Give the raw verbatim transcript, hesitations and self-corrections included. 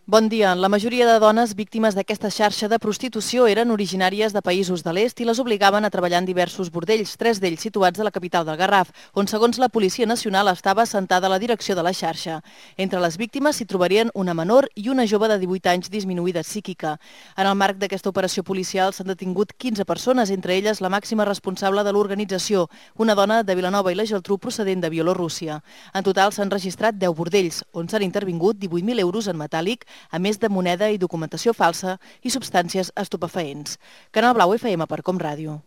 Bon dia. La majoria de dones víctimes d'aquesta xarxa de prostitució eren originàries de països de l'est i les obligaven a treballar en diversos bordells, tres d'ells situats a la capital del Garraf, on segons la Policia Nacional estava assentada la direcció de la xarxa. Entre les víctimes s'hi trobarien una menor i una jove de divuit anys disminuïda psíquica. En el marc d'aquesta operació policial s'han detingut quinze persones, entre elles la màxima responsable de l'organització, una dona de Vilanova i la Geltrú procedent de Bielorússia. En total s'han registrat deu bordells, on s'han intervingut divuit mil euros en metàl·lic, a més de moneda i documentació falsa i substàncies estupefaents. Canal Blau F M per Com Ràdio.